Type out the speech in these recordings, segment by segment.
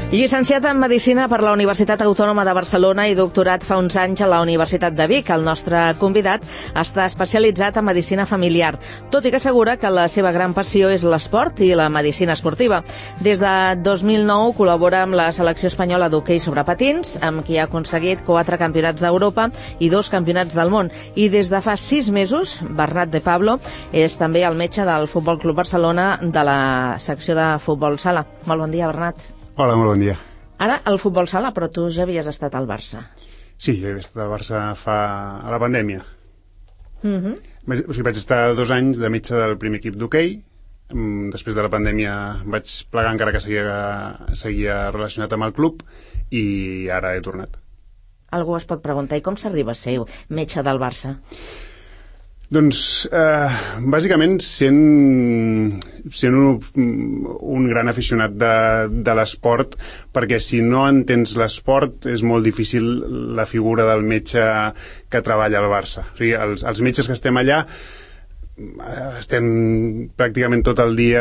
Llicenciat en Medicina per la Universitat Autònoma de Barcelona i doctorat fa uns anys a la Universitat de Vic, el nostre convidat està especialitzat en medicina familiar, tot i que assegura que la seva gran passió és l'esport i la medicina esportiva. Des de 2009 col·labora amb la selecció espanyola d'hoquei sobre patins, amb qui ha aconseguit 4 campionats d'Europa i 2 campionats del món. I des de fa 6 mesos, Bernat de Pablo és també el metge del Futbol Club Barcelona de la secció de futbol sala. Molt bon dia, Bernat. Hola, molt bon dia. Ara, el futbol sala, però tu ja havies estat al Barça. Sí, jo he estat al Barça a la pandèmia. Vaig estar 2 anys de metge del primer equip d'hoquei. Després de la pandèmia vaig plegar, encara que seguia relacionat amb el club, i ara he tornat. Algú es pot preguntar, i com s'arriba a ser metge del Barça? Doncs, bàsicament, sent un gran aficionat de l'esport, perquè si no entens l'esport és molt difícil la figura del metge que treballa al Barça. O sigui, els metges que estem allà estem pràcticament tot el dia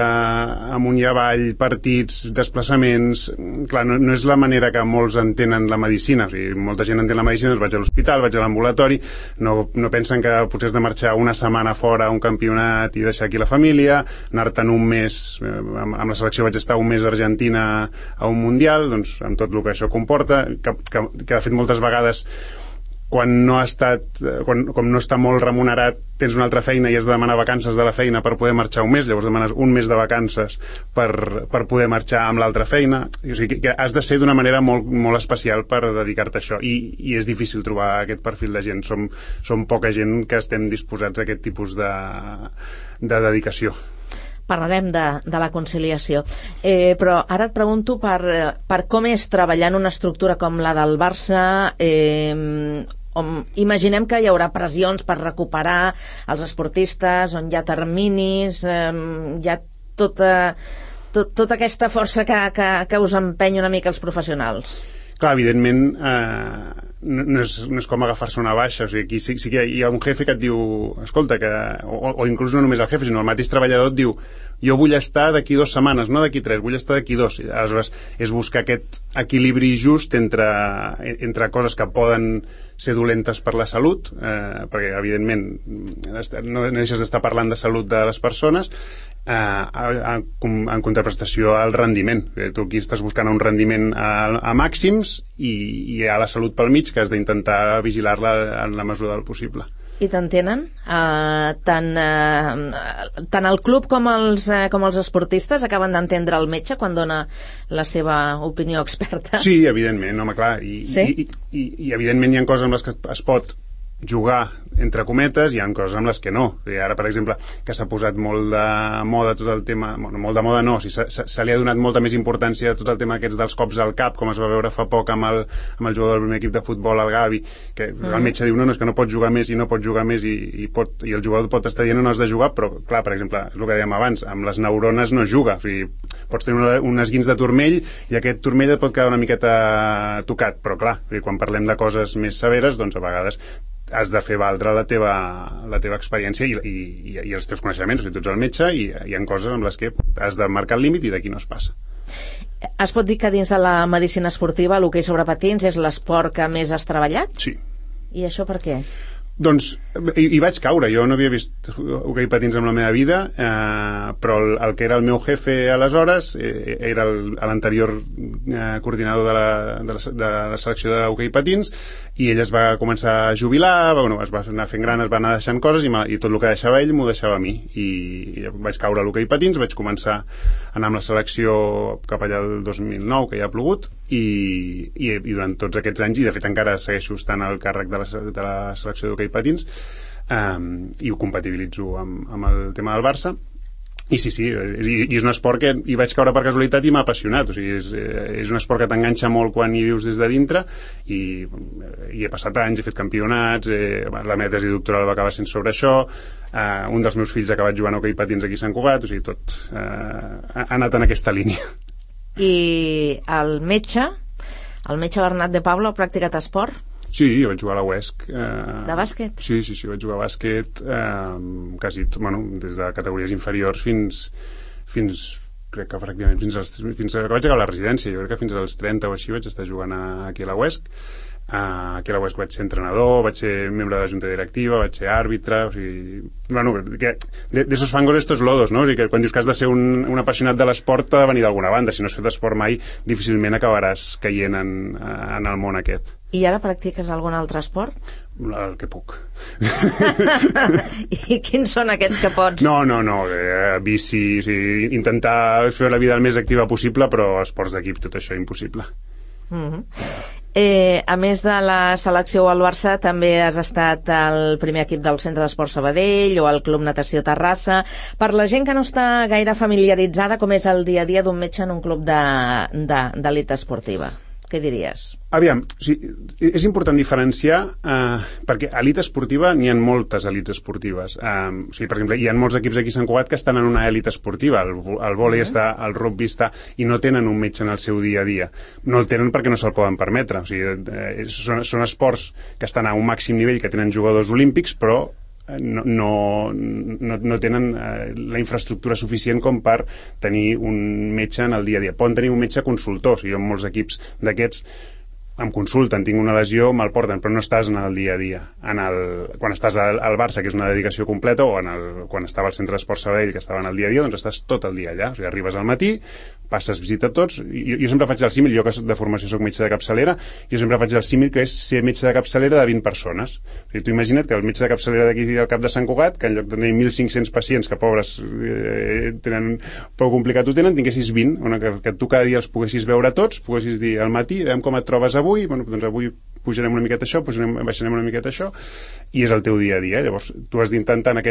amunt i avall, partits, desplaçaments. Clar, no és la manera que molts entenen la medicina. O sigui, molta gent entén la medicina, doncs vaig a l'hospital, vaig a l'ambulatori, no pensen que potser has de marxar una setmana fora a un campionat i deixar aquí la família, anar-te'n un mes, amb la selecció vaig estar un mes a Argentina a un mundial, doncs amb tot el que això comporta, que de fet moltes vegades quan no està molt remunerat, tens una altra feina i has de demanar vacances de la feina per poder marxar un mes, llavors demanes un mes de vacances per poder marxar amb l'altra feina. O sigui, que has de ser d'una manera molt, molt especial per dedicar-te a això, i és difícil trobar aquest perfil de gent. Som poca gent que estem disposats a aquest tipus de dedicació. Parlarem de la conciliació. Però ara et pregunto per com és treballar en una estructura com la del Barça. Imaginem que hi haurà pressions per recuperar els esportistes, on hi ha terminis, hi ha tota aquesta força que us empeny una mica els professionals. Clar, evidentment, no és com agafar-se una baixa. O sigui, aquí sí que hi ha un jefe que et diu, escolta, o inclús no només el jefe, sinó el mateix treballador et diu, jo vull estar d'aquí 2 setmanes, no d'aquí 3, vull estar d'aquí 2. Aleshores, és buscar aquest equilibri just entre coses que poden ser dolentes per la salut, perquè evidentment no deixes d'estar parlant de salut de les persones, en contraprestació al rendiment. Tu aquí estàs buscant un rendiment a màxims, i hi ha la salut pel mig, que has d'intentar vigilar-la en la mesura del possible. I t'entenen? Tant el club com els esportistes acaben d'entendre el metge quan dona la seva opinió experta? Sí, evidentment, home, clar. I evidentment hi ha coses amb les que es pot jugar, entre cometes, hi ha coses amb les que no. Ara, per exemple, que s'ha posat molt de moda tot el tema, bueno, molt de moda no, se li ha donat molta més importància a tot el tema aquests dels cops al cap, com es va veure fa poc amb el jugador del primer equip de futbol, el Gavi, que el metge diu, no, és que no pot jugar més i no pot jugar més, i el jugador pot estar dient no has de jugar, però clar, per exemple, és el que dèiem abans, amb les neurones no es juga. O sigui, pots tenir un esguins de turmell i aquest turmell et pot quedar una miqueta tocat, però clar, quan parlem de coses més severes, doncs a vegades has de fer valdre la teva experiència i els teus coneixements. O sigui, tu ets el metge i hi ha coses amb les que has de marcar el límit i d'aquí no es passa. Es pot dir que dins de la medicina esportiva l'hoquei sobre patins és l'esport que més has treballat? Sí. I això per què? Doncs hi vaig caure. Jo no havia vist hoquei patins en la meva vida, però el que era el meu jefe aleshores era l'anterior coordinador de la selecció d'hoquei patins, i ell es va començar a jubilar, es va anar fent gran, es va anar deixant coses, i tot el que deixava ell m'ho deixava a mi, i vaig caure a l'hoquei patins, vaig començar a anar amb la selecció cap allà del 2009, que ja ha plogut, i durant tots aquests anys, i de fet encara segueixo estant al càrrec de la selecció d'hoquei patins, i ho compatibilitzo amb el tema del Barça. I sí, i és un esport que hi vaig caure per casualitat i m'ha apassionat. O sigui, és un esport que t'enganxa molt quan hi vius des de dintre, i he passat anys, he fet campionats, la meva tesi doctoral va acabar sent sobre això, un dels meus fills ha acabat jugant a hoquei patins aquí a Sant Cugat, o sigui, tot ha anat en aquesta línia. I el metge Bernat de Pablo ha practicat esport? Sí, jo vaig jugar a la UESC. De bàsquet? Sí, vaig jugar a bàsquet quasi, des de categories inferiors fins crec que pràcticament fins que vaig acabar la residència. Jo crec que fins als 30 o així vaig estar jugant aquí a la UESC. Aquí a la UESC vaig ser entrenador, vaig ser membre de la junta directiva, vaig ser àrbitre, o sigui... Bueno, que de esos fangos estos lodos, no? O sigui que quan dius que has de ser un apassionat de l'esport t'ha de venir d'alguna banda. Si no has fet esport mai, difícilment acabaràs caient en el món aquest. I ara practiques algun altre esport? El que puc. I quins són aquests que pots? No, bici, o sigui, intentar fer la vida el més activa possible, però esports d'equip, tot això, impossible. A més de la selecció al Barça, també has estat al primer equip del Centre d'Esport Sabadell o al Club Natació Terrassa. Per la gent que no està gaire familiaritzada, com és el dia a dia d'un metge en un club d'elit esportiva? Què diries? Aviam, o sigui, és important diferenciar perquè a elit esportiva n'hi ha moltes elits esportives. O sigui, per exemple, hi ha molts equips aquí a Sant Cugat que estan en una elit esportiva. El vòlei està, el rugby està, i no tenen un metge en el seu dia a dia. No el tenen perquè no se'l poden permetre. O sigui, són esports que estan a un màxim nivell, que tenen jugadors olímpics, però no tenen la infraestructura suficient com per tenir un metge en el dia a dia. Poden tenir un metge consultor. O sigui, en molts equips d'aquests em consulten, tinc una lesió, me'l porten, però no estàs en el dia a dia. Quan estàs al Barça, que és una dedicació completa, o quan estava al Centre d'Esport Sabadell, que estava en el dia a dia, doncs estàs tot el dia allà. O sigui, arribes al matí, passes visita a tots. Jo sempre faig el símil, jo que de formació soc metge de capçalera, jo sempre faig el símil que és ser metge de capçalera de 20 persones. O sigui, tu imagina't que el metge de capçalera d'aquí al Cap de Sant Cugat, que en lloc de tenir 1.500 pacients, que pobres tenen prou complicat ho tenen, tinguessis 20, que tu cada dia els poguessis veure tots, poguessis dir al matí, veiem com et trobes avui, bueno, doncs avui pujarem una miqueta això, baixarem una miqueta això, i és el teu dia a dia. Llavors, tu has d'intentar en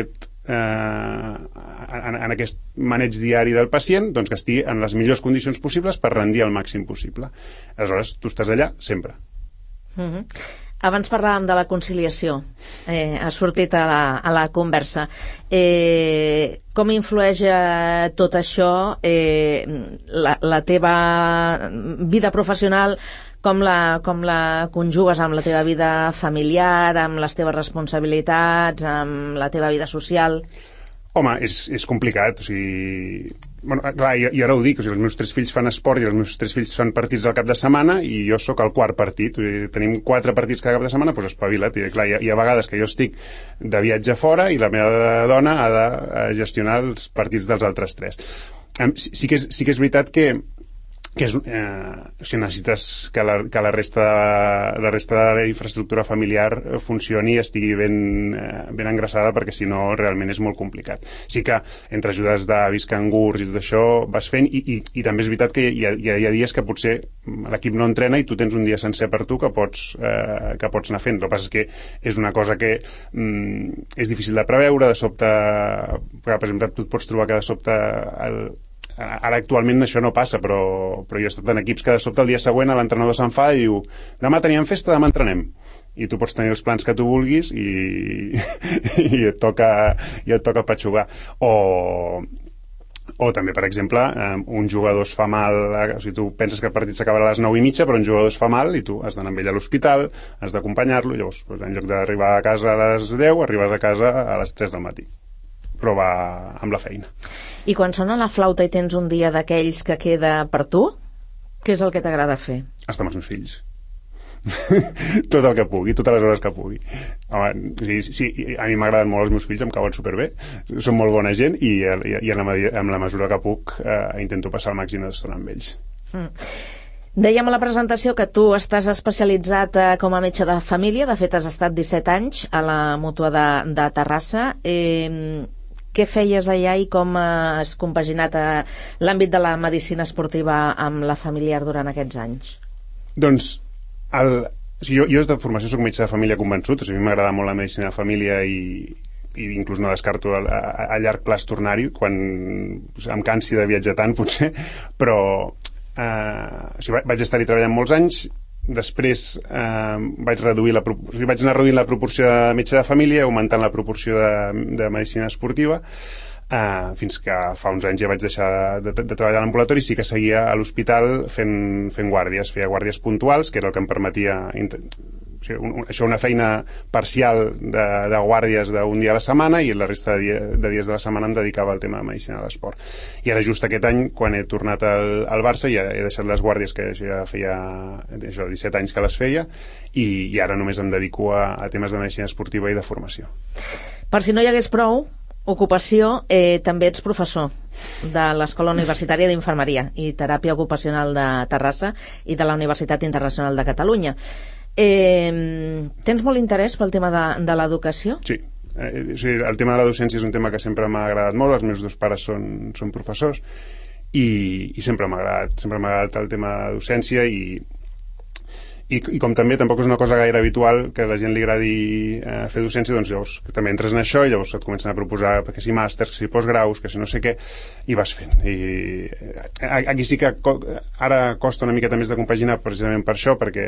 aquest maneig diari del pacient, doncs que estigui en les millors condicions possibles per rendir el màxim possible. Aleshores, tu estàs allà sempre. Abans parlàvem de la conciliació, ha sortit a la conversa. Com influeix tot això la teva vida professional, com la conjugues amb la teva vida familiar, amb les teves responsabilitats, amb la teva vida social? Home, és complicat, o sigui... Bueno, clar, jo ara ho dic, o sigui, els meus 3 fills fan esport i els meus 3 fills fan partits al cap de setmana i jo sóc el 4 partit. O sigui, tenim 4 partits cada cap de setmana, doncs espavila't. I clar, hi ha vegades que jo estic de viatge fora i la meva dona ha de gestionar els partits dels altres 3. Sí que és veritat que si necessites que la resta de la infraestructura familiar funcioni i estigui ben engraçada, perquè si no realment és molt complicat. Sí que entre ajudes d'avis, cangurs i tot això vas fent, i també és veritat que hi ha dies que potser l'equip no entrena i tu tens un dia sencer per tu que pots anar fent. El que passa és que és una cosa que és difícil de preveure, de sobte, per exemple, tu et pots trobar que de sobte ara actualment això no passa, però jo he estat en equips que de sobte el dia següent l'entrenador s'enfada i diu, demà teníem festa, demà entrenem, i tu pots tenir els plans que tu vulguis i et toca patxugar. O també, per exemple, un jugador es fa mal, o sigui, tu penses que el partit s'acabarà a les 9:30, però un jugador es fa mal i tu has d'anar amb ell a l'hospital, has d'acompanyar-lo, llavors en lloc d'arribar a casa a les 10 arribes a casa a les 3 del matí, però va amb la feina. I quan sona la flauta i tens un dia d'aquells que queda per tu, què és el que t'agrada fer? Estar amb els meus fills. Tot el que pugui, totes les hores que pugui. Home, sí, a mi m'agraden molt els meus fills, em cauen superbé, són molt bona gent i en la mesura que puc intento passar el màxim d'estona amb ells. Dèiem a la presentació que tu estàs especialitzat com a metge de família, de fet has estat 17 anys a la Mútua de Terrassa. Què feies allà i com has compaginat l'àmbit de la medicina esportiva amb la familiar durant aquests anys? Doncs, jo de formació soc metge de família convençut, o sigui, a mi m'agrada molt la medicina de família i inclús no descarto a llarg plaç tornar-hi, quan em cansi de viatjar tant, potser, però o sigui, vaig estar-hi treballant molts anys. Després vaig anar reduint la proporció de metge de família, augmentant la proporció de medicina esportiva, fins que fa uns anys ja vaig deixar de treballar a l'ambulatori. Sí que seguia a l'hospital fent guàrdies, feia guàrdies puntuals, que era el que em permetia això una feina parcial de guàrdies d'un dia a la setmana, i la resta de dies de la setmana em dedicava al tema de medicina de l'esport. I ara just aquest any, quan he tornat al Barça, ja he deixat les guàrdies, que ja feia 17 anys que les feia, i ara només em dedico a temes de medicina esportiva i de formació. Per si no hi hagués prou ocupació, també ets professor de l'Escola Universitària d'Infermeria i Teràpia Ocupacional de Terrassa i de la Universitat Internacional de Catalunya. Tens molt interès pel tema de l'educació? Sí. El tema de la docència és un tema que sempre m'ha agradat molt. Els meus dos pares són professors i sempre m'ha agradat el tema de docència, i com també tampoc és una cosa gaire habitual que a la gent li agradi fer docència, doncs llavors també entres en això i llavors et comencen a proposar que si màsters, que si postgraus, que si no sé què, i vas fent. I aquí sí que ara costa una miqueta més de compaginar, precisament per això, perquè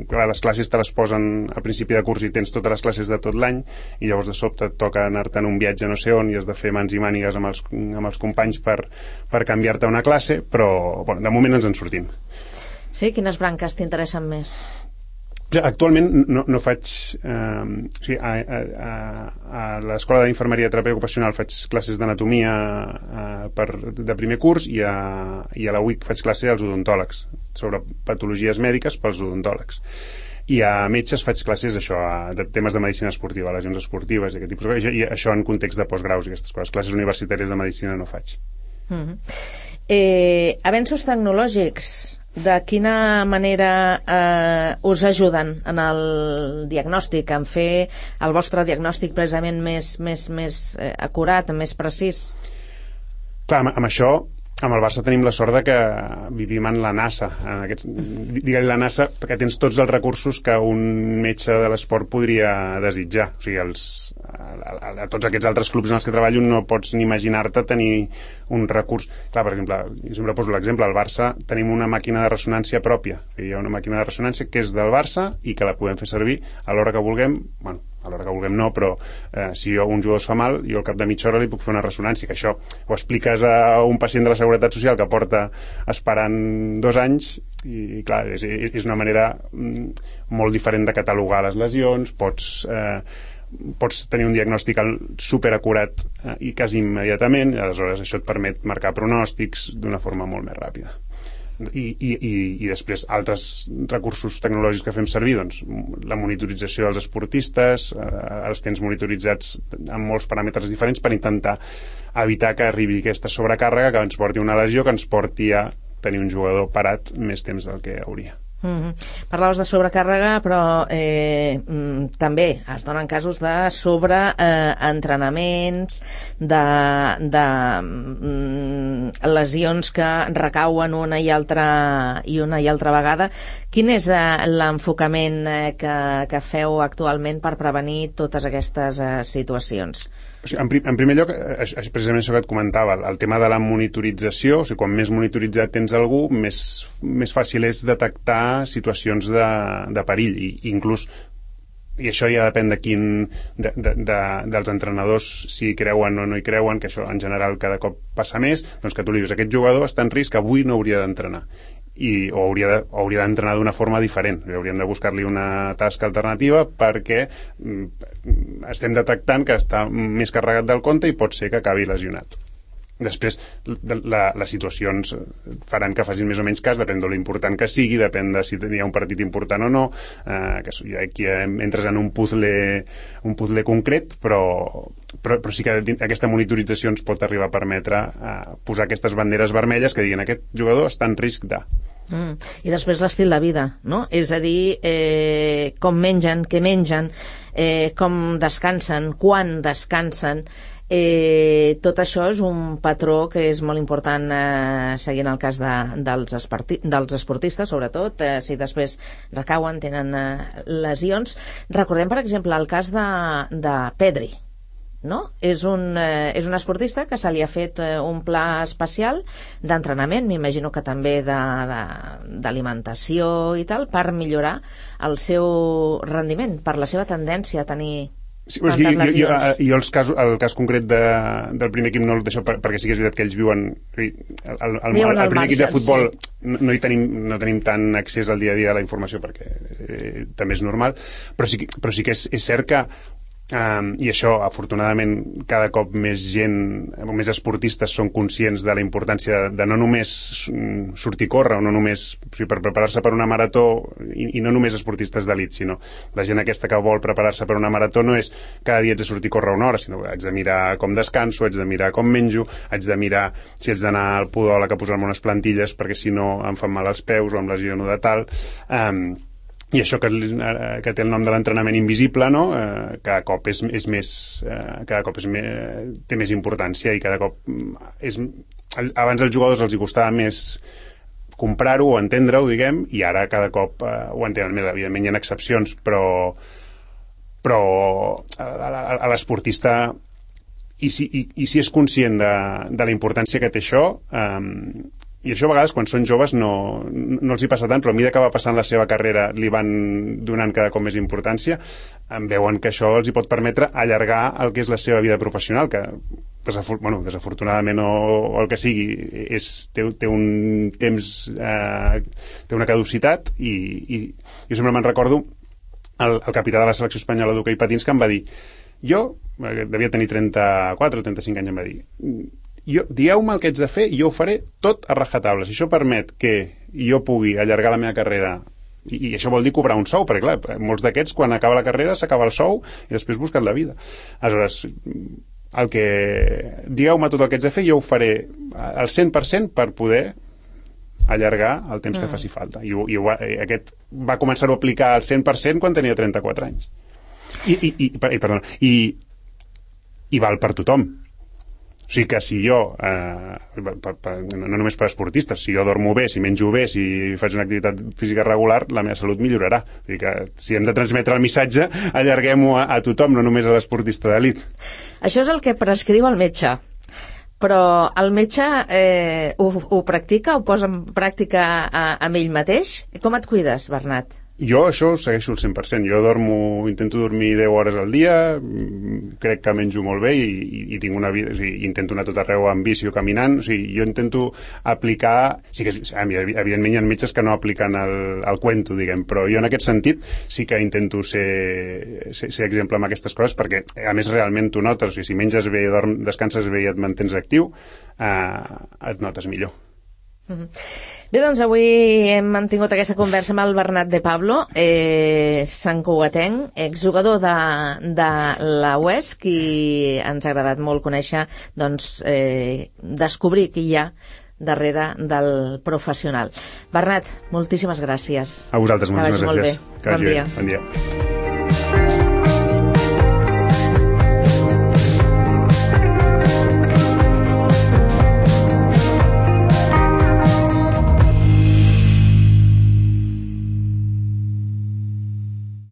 clar, les classes te les posen a principi de curs i tens totes les classes de tot l'any, i llavors de sobte et toca anar-te'n un viatge no sé on i has de fer mans i mànigues amb els companys per canviar-te una classe, però bueno, de moment ens en sortim. Sí? Quines branques t'interessen més? Actualment no faig... a l'Escola d'Infermeria i Teràpia Ocupacional faig classes d'anatomia de primer curs, i a la UIC faig classe als odontòlegs, sobre patologies mèdiques pels odontòlegs. I a metges faig classes de temes de medicina esportiva, lesions esportives i aquest tipus de coses, i això en context de postgraus i aquestes coses. Classes universitàries de medicina no faig. Avenços tecnològics, de quina manera us ajuden en el diagnòstic, en fer el vostre diagnòstic precisament més acurat, més precís? Clar, amb això, amb el Barça tenim la sort de que vivim en la NASA. Digue-li la NASA perquè tens tots els recursos que un metge de l'esport podria desitjar. O sigui, a tots aquests altres clubs en els que treballo no pots ni imaginar-te tenir un recurs. Clar, per exemple, jo sempre poso l'exemple, al Barça tenim una màquina de ressonància pròpia. Hi ha una màquina de ressonància que és del Barça i que la podem fer servir a l'hora que vulguem. Bueno, a l'hora que vulguem no, però si un jugador es fa mal, jo al cap de mitja hora li puc fer una ressonància, que això ho expliques a un pacient de la Seguretat Social que porta esperant 2 anys, i clar, és una manera molt diferent de catalogar les lesions. Pots tenir un diagnòstic superacurat i quasi immediatament, i aleshores això et permet marcar pronòstics d'una forma molt més ràpida. I després altres recursos tecnològics que fem servir, doncs la monitorització dels esportistes, els tens monitoritzats amb molts paràmetres diferents per intentar evitar que arribi aquesta sobrecàrrega que ens porti una lesió, que ens porti a tenir un jugador parat més temps del que hauria. Parlaves de sobrecàrrega, però també es donen casos de sobreentrenaments, de lesions que recauen una i altra vegada. Quin és l'enfocament que feu actualment per prevenir totes aquestes situacions? En primer lloc, precisament això que et comentava, el tema de la monitorització. O sigui, quan més monitoritzat tens algú, més fàcil és detectar situacions de perill, i inclús, i això ja depèn dels entrenadors, si hi creuen o no hi creuen, que això en general cada cop passa més, doncs que tu li dius, aquest jugador està en risc, avui no hauria d'entrenar, o hauria d'entrenar d'una forma diferent. Hauríem de buscar-li una tasca alternativa perquè estem detectant que està més carregat del compte i pot ser que acabi lesionat. Després, les situacions faran que facin més o menys cas, depèn de l'important que sigui, depèn de si hi ha un partit important o no, que aquí entres en un puzzle concret, però sí que aquesta monitorització ens pot arribar a permetre posar aquestes banderes vermelles que diguin aquest jugador està en risc de... I després l'estil de vida, no? És a dir, com mengen, què mengen, com descansen, quan descansen. Tot això és un patró que és molt important seguint el cas dels esportistes, sobretot si després recauen, tenen lesions. Recordem, per exemple, el cas de Pedri, no? És un esportista que se li ha fet un pla especial d'entrenament, m'imagino que també d'alimentació i tal, per millorar el seu rendiment, per la seva tendència a tenir... Sí, jo el cas concret del primer equip no el deixo perquè sí que és veritat que ells viuen el primer equip de futbol no tenim tant accés al dia a dia a la informació perquè també és normal, però sí que és cert que i això afortunadament cada cop més gent, més esportistes són conscients de la importància de no només sortir a córrer o no només per preparar-se per una marató i no només esportistes d'elit, sinó la gent aquesta que vol preparar-se per una marató no és cada dia haig de sortir a córrer una hora, sinó que haig de mirar com descanso, haig de mirar com menjo, haig de mirar si haig d'anar al podòleg a posar-me unes plantilles perquè si no em fan mal els peus o em lesiono de tal. I això que té el nom de l'entrenament invisible, no? Cada cop és més cada cop té més importància i cada cop abans als jugadors els hi costava més comprar-ho o entendre-ho, diguem, i ara cada cop ho entenen més. Evidentment hi ha excepcions, però a l'esportista i si és conscient de la importància que té això, i això a vegades quan són joves no els hi passa tant, però a mesura que va passant la seva carrera li van donant cada cop més importància, veuen que això els hi pot permetre allargar el que és la seva vida professional, que desafortunadament o el que sigui té un temps, té una caducitat, i jo sempre me'n recordo el capità de la selecció espanyola d'hoquei patins que em va dir, jo devia tenir 34 o 35 anys, em va dir, dieu-me el que haig de fer i jo ho faré tot a rajatabla. Si això permet que jo pugui allargar la meva carrera, i això vol dir cobrar un sou, perquè clar, molts d'aquests quan acaba la carrera s'acaba el sou i després busquen la vida. Aleshores, digueu-me tot el que haig de fer i jo ho faré al 100% per poder allargar el temps que faci falta. I aquest va començar-ho a aplicar al 100% quan tenia 34 anys. I val per tothom. O sigui que si jo, no només per esportistes, si jo dormo bé, si menjo bé, si faig una activitat física regular, la meva salut millorarà. O sigui que si hem de transmetre el missatge, allarguem-ho a tothom, no només a l'esportista d'elit. Això és el que prescriu el metge. Però el metge ho practica, ho posa en pràctica amb ell mateix? Com et cuides, Bernat? Jo això ho segueixo al 100%. Jo intento dormir 10 hores al dia, crec que menjo molt bé i tinc una vida, o sigui, intento anar tot arreu amb bici o caminant, o sigui, jo intento aplicar, sí que evidentment hi ha metges que no apliquen el cuento, diguem, però jo en aquest sentit sí que intento ser exemple amb aquestes coses, perquè a més realment tu notes, o sigui, si menges bé, descanses bé i et mantens actiu, et notes millor. Bé, doncs avui hem mantingut aquesta conversa amb el Bernat de Pablo, santcugatenc, exjugador de la UESC, i ens ha agradat molt conèixer, doncs, descobrir qui hi ha darrere del professional. Bernat, moltíssimes gràcies. A vosaltres, moltíssimes gràcies. Que vagi molt bé. Bon dia. Bon dia.